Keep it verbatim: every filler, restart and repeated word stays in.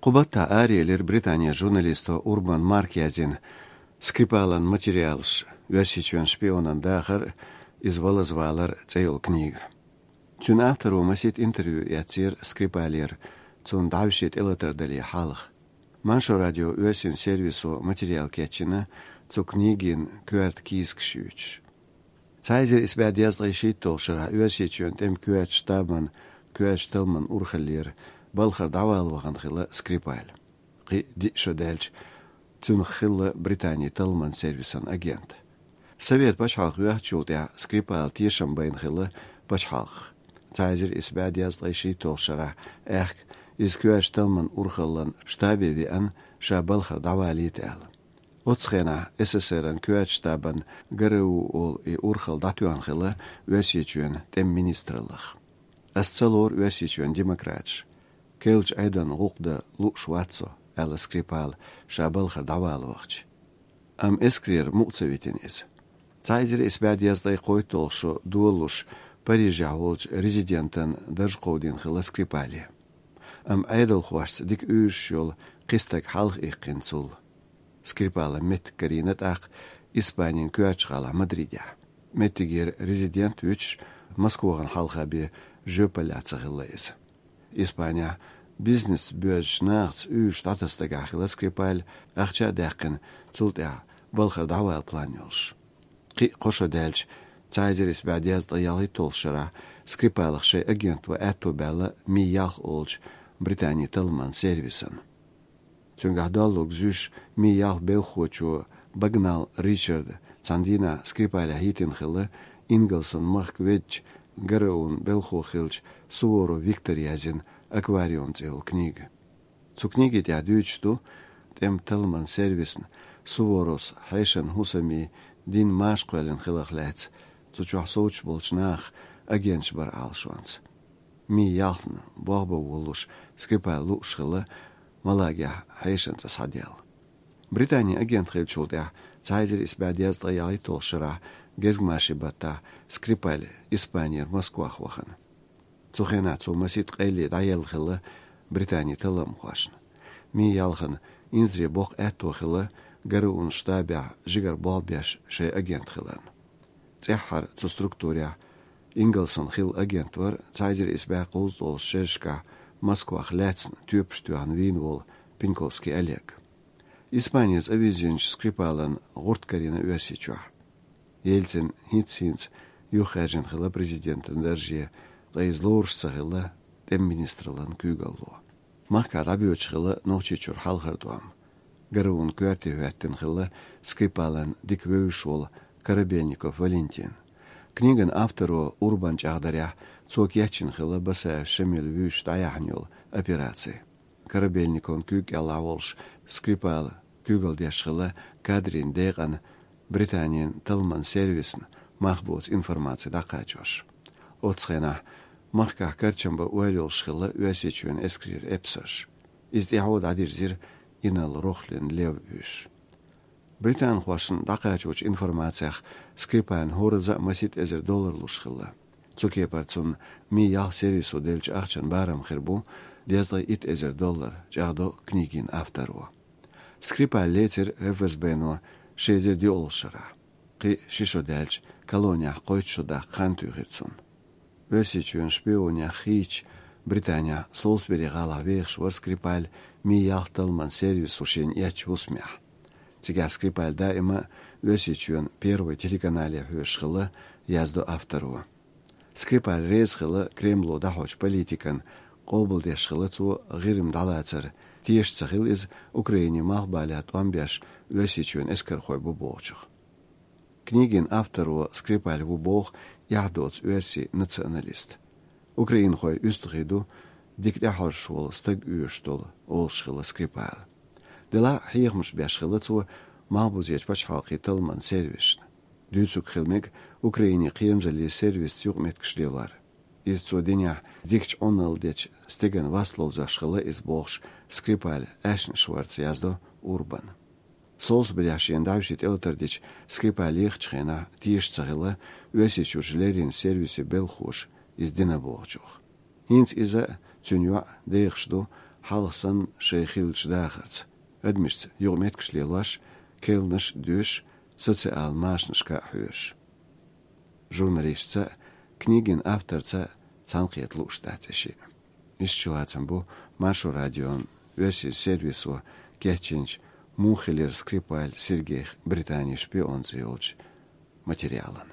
Кху баттахь араелира Британин журналисто Урбан Марка язйина «Скрипалан материалаш. Оьрсийчоьнан шпионан дахар, иза валазвалар» цӀе йолу книга. Цуьнан авторо масийтта интервью эцнера Скрипалера, цунна дӀовше тӀелатар дале хьалха. Маршо радион оьрсийн сервисо материал кечйина цу книгин коьрта кийсакаш юьйцуш. Цхьа эзар исс бӀе дезткъе шийтталгӀачу шарахь Оьрсийчоьнан тӀеман коьртачу штабан коьртачу талламан урхаллера балхара дӀавала вахана хилла Скрипаль. Кхин а диъ шо даьлча, цуьнах хилла Британин талламан сервисан агент. Совет пачхьалкх йоьхначул тӀаьхьа Скрипала тешам байна хилла пачхьалкхах. Цхьа эзар исс бӀе дезткъе шийтталгӀачу шарахь аьхка, иза коьртачу талламан урхаллан штабе веана, ша балхара дӀавалийта аьлла. Оццу хенахь СССР-ан коьртачу штабан ГРУ олу и урхалла дӀатоьхна хилла Оьрсийчоьнан тӀеман министраллах. «Ас ца лору Оьрсийчоьнан демократаш. Керлачу Ӏедална гӀуллакх дан лууш вац со», — аьлла Скрипала, ша балхара дӀавала вахча. Амма эскарера мукъа ца витина иза. Цхьа эзар исс бӀе дезткъе кхойтталгӀа шо долалуш, Парижехь волчу резидентан дарж кховдийна хилла Скрипале. Амма Ӏедалхошца дика уьйраш йолу кхин стаг хьалха иккхина цул. Скрипалан меттиг карийна тӀаккха Испанин коьртачу гӀалахь Мадридехь. Меттигера резидент вуьтуш, Москвахана хьалха бен жоьпаллехь ца хилла иза. Испанехь бизнес боьзначу нахаца уьйраш дӀатасна дагахь хилла Скрипаль, ахча а даьккхина, цул тӀаьхьа балхара дӀавала план йолуш. Кхин а кхо шо даьлча, цхьа эзар исс бӀе дезткъе ялхитталгӀачу шарахь Скрипалах шайн агентан аьтто баьлла Ми-ялх олучу Британин талламан сервисан. Цуьнгахь доллург зуьйш, Ми-ялх белхахочо Багнал Ричарда цхьана дийнахь Скрипалехь йитина хилла, Ингалсан махка веддачу ГРУ-н белхахо хиллачу Суворов Виктора язйина «Аквариум» цӀе йолу книга. Цу книгин тӀехь дуьйцуш ду тӀеман талламан сервисна Суворовс хьешан хӀусамийн дин маша кхоьллина хиларх лаьцна, цу чохь совцуш болчу нахах агенташ бара Ӏалашонца. Ми-ялхна болх бан волуш Скрипаль лууш хилла Малагехь хьешан цӀа схьадаьлла. Британин агент хиллачул тӀаьхьа цхьа эзар исс бӀе дезткъе ялхитталгӀачу шарахь гезгмашин баттахь Скрипаль Испанера Москвах вахана. Цу хенахь цо масийтта къайле дӀаелла хилла Британин талламхошна. Ми-ялхана инзаре боккха аьтто хилла ГРУ-н штабехь жигара болх беш шайн агент хиларна. ЦӀеххьара цу структурехь Ингалсан хилла агент вара цхьа эзар исс бӀе кхузткъалгӀачу шерашкахь Москвах лаьцна тоьпаш тоьхна вийна волу Пеньковский Олег. Испанера цӀа вирзинчу Скрипалан гӀурт карийна Оьрсийчохь. Ельцин хӀинц-хӀинца юхахаьржина хилла президентан дарже, ткъа иза лоруш ца хилла тӀеман министраллан куьйгалло. Махкахь дӀабоьдуш хилла Нохчийчуьра хьалхара тӀом. ГРУ-н коьрте хӀоьттина хилла Скрипалан дика вевзаш волу Корабельников Валентин. Книган авторо Урбан чӀагӀдарехь, цо кечйина хилла Басаев Шамил вуьйш дӀаяьхьна йолу операци. Корабельниковн куьйга кӀелахь волуш Скрипала куьйгалла деш хилла кадрийн декъана Британин талламан сервисна мах боцу информаци дӀакхачош. Оццу хенахь махкахь карчам бан ойла йолуш хилла Оьрсийчоьнан эскарера эпсарш. Иза тӀаьхьо дӀадирзира инарла Рохлин Лев вуьйш. Британхошна дӀакхачочу информацех Скрипална хӀоразза а масийтта эзар доллар луш хилла. Цу кепара цунна Ми-ялх сервисо деллачу ахчан барам хир бу дезткъе итт эзар доллар, чӀагӀдо книгин авторо. Скрипаль лецира ФСБ-но ши эзар диъалгӀачу шарахь. Кхин ши шо даьлча, колонехь кхойтта шо даккха хан туьйхира цунна. Оьрсийчоьнан шпионех хийцича, Британехь Солсбери гӀалахь вехаш вара Скрипаль Ми-ялх талламан сервисо шена эцначу хӀусамехь. Цигахь Скрипаль даима а Оьрсийчоьнан Первый телеканале хьоьжуш хилла, яздо авторо. Скрипаль реза хилла Кремло дӀахьочу политикана, къобалдеш хилла цо ГӀирма дӀалацар, тешаш ца хилла иза Украинин малхбалехь тӀом беш Оьрсийчоьнан эскархой бу бохучух. Книгин авторо Скрипаль ву боху эхь доцу оьрсийн националист. Украинхой уьстагӀий ду, дика тӀаьхьожуш волу стаг оьшуш долу, олуш хилла Скрипала. Делахь а хьехамаш беш хилла цо малхбузерчу пачхьалкхийн талламан сервисашна. Дуьйцург хила мега Украинин кхерамзаллин сервисца юкъаметтигаш лелор. Иза цо динехь дикачу Ӏуналла дечу стеган вас ловзош хилла иза бохуш, Скрипаль аьшнаш варца, яздо Урбан. Солсберехь шена дӀовше тӀелатар дича Скрипаль ехачу хенахь тешаш ца хилла Оьрсийчуьрчу леррина сервисийн белхахоша иза дина бохучух. ХӀинца иза а, цуьнан йоӀ а дехаш ду хьалха санна шайн хиллачу дахарца, адамашца юкъаметтигаш лелош, кхаьънаш доьшуш, социал машанашка а хьоьжуш. Журналисташца а, книгин авторца а цхьаьнакхета лууш дац и шиъ. Иштта чулацам бу Маршо радион оьрсийн сервисо кечйинчу «Муха хилира Скрипаль Сергейх Британин шпион» цӀе йолчу материалан.